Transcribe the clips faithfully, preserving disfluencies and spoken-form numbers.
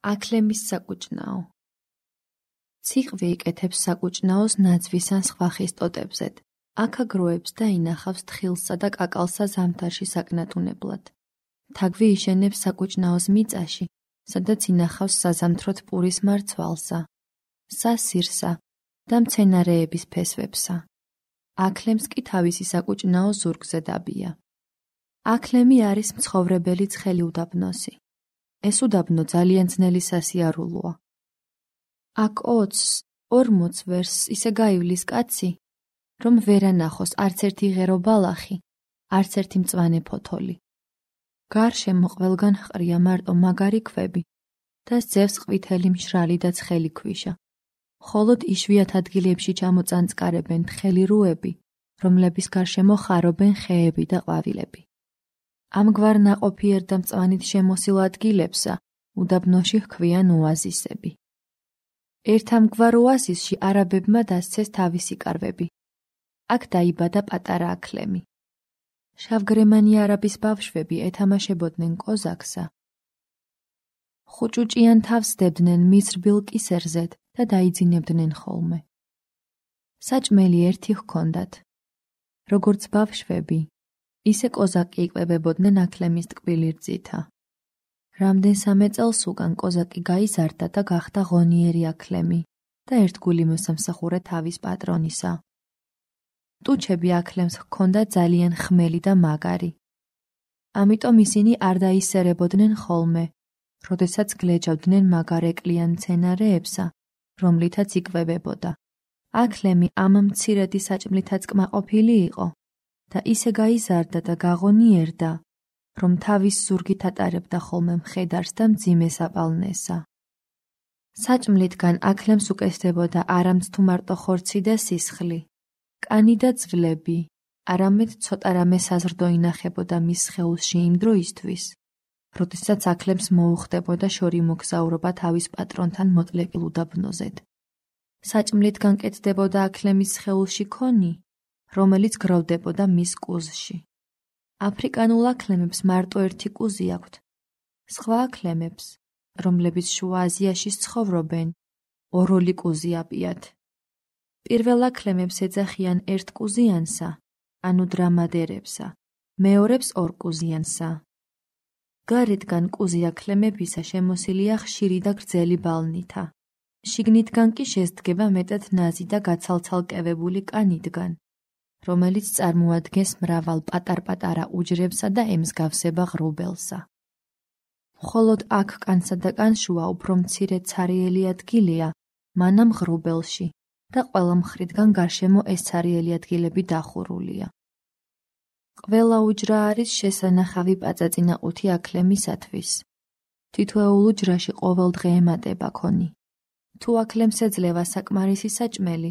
აქლემის საკუჭნაო. ციყვი იკეთებს საკუჭნაოს ნაძვის ან სხვა ხის ტოტებზედ. აქ აგროებს და ინახავს თხილსა და კაკალსა ზამთარში საკნატუნებლად. თაგვი იშენებს საკუჭნაოს მიწაში, სადაც ინახავს საზამთროთ პურის მარცვალსა, სასირსა და მცენარეების ფესვებსა. აქლემს კი თავისი საკუჭნაო ზურგზე დაბია. აქლემი არის მცხოვრებელი ცხელი უდაბნოსი. ეს უდაბნო ძალიან ძნელი სასიარულოა. აქ ოცს, ორმოცს ვერსს ისე გაივლის კაცი, რომ ვერ ანახოს არც ერთი ღერო ბალახი, არც ერთი მწვანე ფოთოლი. გარშემო ყველგან ჰყრია მარტო მაგარი ქვები და სძევს ყვითელი მშრალი და ცხელი ქვიშა. მხოლოდ იშვიათ ადგილებში ჩამოწანწკარებენ თხელი რუები, რომლების გარშემო ხარობენ ხეები და ყვავილები. ამგვარ ნაყოფიერ და მწვანით შემოსილ ადგილებსა უდაბნოში ჰქვიან ოაზისები. ერთ ამგვარ ოაზისში არაბებმა დასცეს თავისი კარვები. აქ დაიბადა პატარა აქლემი. შავგრემანი არაბის ბავშვები ეთამაშებოდნენ კოზაკსა. ხუჭუჭიან თავს დებდნენ მის რბილ კისერზედ და დაიძინებდნენ ხოლმე. საჭმელი ერთი ჰქონდათ. როგორც ბავშვები, ისე კოზაკი იკვებებოდნენ აქლემის ტკბილი რძითა. რამდენსამე წელს უკან კოზაკი გაიზარდა და გახდა ღონიერი აქლემი და ერთგული მოსამსახურე თავის პატრონისა. ტუჩები აქლემს ჰქონდა ძალიან ხმელი და მაგარი. ამიტომ ისინი არ დაისერებოდნენ ხოლმე, როდესაც გლეჯავდნენ მაგარ ეკლიან მცენარეებსა, რომლითაც იკვებებოდა. აქლემი ამ მცირედი საჭმლითაც კმაყოფილი იყო და ისე გაიზარდა და გაღონიერდა, რომ თავის ზურგით ატარებდა ხოლმე მხედარს და მძიმე საპალნესა. საჭმლითგან აქლემს უკეთდებოდა არამც თუ მარტო ხორცი და სისხლი, კანი და ძვლები, არამედ ცოტა რამე საზრდო ინახებოდა მის სხეულში იმ დროისთვის, როდესაც აქლემს მოუხდებოდა შორი მოგზაურობა თავის პატრონთან მოტლეკილ უდაბნოზედ. საჭმლითგან კეთდებოდა აქლემის სხეულში ქონი, რომელიც გროვდებოდა მის კუზში. აფრიკანულ აქლემებს მარტო ერთი კუზი აქვთ. სხვა აქლემებს, რომლებიც შუა აზიაში ცხოვრობენ, ოროლი კუზი აპიათ. პირველ აქლემებს ეძახიან ერთკუზიანსა, ანუ დრამადერებსა, მეორებს ორკუზიანსა. გარედგან კუზი აქლემებისა შემოსილია ხშირი და გრძელი ბალნითა. შიგნითგან კი შესდგება მეტად ნაზი და გაცალცალკევებული კანიდგან, რომელიც წარმოადგენს მრავალ პატარ-პატარა უჯრებსა და ემსგავსება ღრუბელსა. მხოლოდ აქ კანსა და კანშუა უფრო მცირე ცარიელი ადგილია მანამ ღრუბელში და ყველა მხრიდან გარშემო ეს ცარიელი ადგილები დახურულია. ყველა უჯრა არის შესანახავი პაწაწინაყუთი აქლემისათვის. თითოეულ უჯრაში ყოველდღე ემატება ქონი. თუ აქლემს ეძლევა საკმარისი საჭმელი,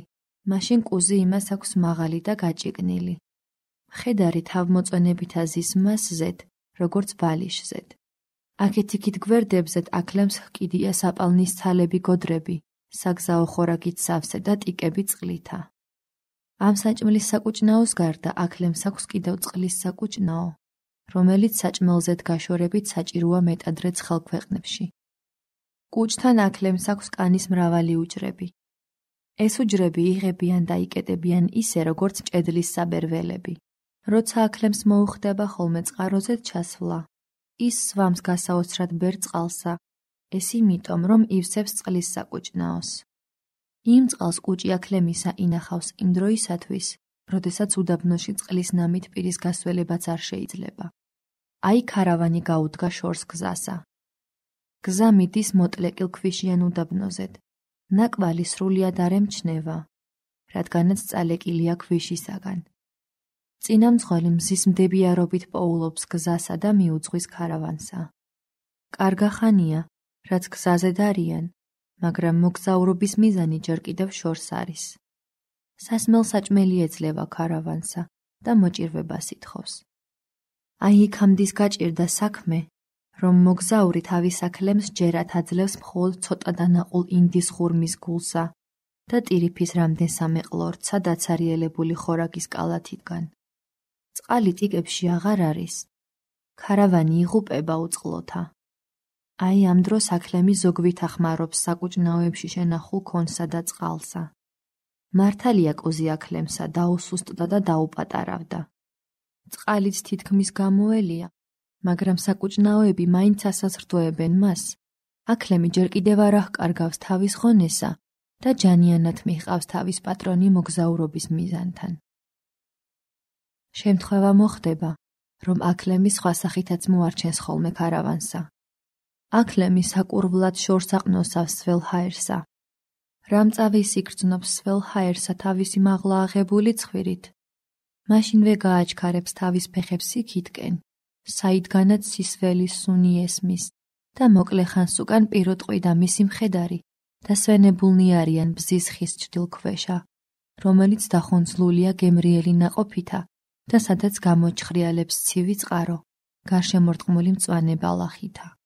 მაშინ კუზი იმას აქვს მაღალი და გაჭიგნილი. მხედარი თავმოწონებითა ზის მასზედ, როგორც ბალიშზედ. აქეთ-იქით გვერდებზედ აქლემს ჰკიდია საპალნის ცალები გოდრები, საგზაო ხორაგით სავსე და ტიკები წყლითა. ამ საჭმლის საკუჭნაოს გარდა აქლემს აქვს კიდევ წყლის საკუჭნაო, რომელიც საჭმელზედ გაშორებით საჭიროა მეტადრე ცხელ ქვეყნებში. კუჭთან აქლემს აქვს კანის მრავალი უჯრები. ეს უჯრები იღებიან და იკეტებიან ისე, როგორც მჭედლის საბერველები. როცა აქლემს მოუხდება ხოლმე წყაროზედ ჩასვლა, ის სვამს გასაოცრად ბერ წყალსა, ეს იმიტომ, რომ ივსებს წყლის საკუჭნაოს. იმ წყალს კუჭი აქლემისა ინახავს იმ დროისათვის, როდესაც უდაბნოში წყლის ნამით პირის გასველებაც არ შეიძლება. აი ქარავანი გაუდგა შორს გზასა. გზა მიდის მოტლეკილ ქვიშიან უდაბნოზედ. ნაკვალი სრულიად არ ემჩნევა, რადგანაც წალეკილია ქვიშისაგან. წინამძღვარი მზის მდებიარობით პოულობს გზასა და მიუძღვის ქარავანსა. კარგა ხანია, რაც გზაზე არიან, მაგრამ მოგზაურობის მიზანი ჯერ კიდევ შორს არის. სასმელ საჭმელი ეძლევა ქარავანსა და მოჭირვებას ითხოვს. აი იქამდის გაჭირდა საქმე, რომ მოგზაური თავის აქლემს ჯერათ აძლევს მხოლოდ ცოტა დანაყულ ინდის ღურმის გულსა და ტირიფის რამდენსამე ყლორცსა დაცარიელებული ხორაგის კალათიდან. წყალი ტიკებში აღარ არის. ქარავანი იღუპება უწყლოთა. აი ამ დროს აქლემი ზოგვით ახმარობს საკუჭნაოებში შენახულ ქონსა და წყალსა. მართალია კოზი აქლემსა დაუსუსტდა და დაუპატარავდა. წყალიც თითქმის გამოელია, მაგრამ საკუჭნაოები მაინც ასაზრდოებენ მას. აქლემი ჯერ კიდევ არ აღკარგავს თავის ღონესა და ჯანიანად მიჰყავს თავის პატრონი მოგზაურობის მიზანთან. შემთხვევა მოხდება, რომ აქლემი სხვა სახითაც მოარჩენს ხოლმე ქარავანსა. აქლემი საკურვლად შორს აყნოსავს სველჰაერსა. რამწავი სიგრძნობს სველჰაერსა თავისი მაღლა აღებული ცხვირით. მაშინვე გააჩქარებს თავის ფეხებს იქითკენ, საიდგანაც სისველის სუნი ესმის და მოკლე ხანს უკან პირუტყვი და მისი მხედარი დასვენებულნი არიან ბზის ხის ჩრდილქვეშა, რომელიც დახონძლულია გემრიელი ნაყოფითა და სადაც გამოჩხრიალებს ცივი წყარო, გარშემორტყმული მწვანე ბალახითა.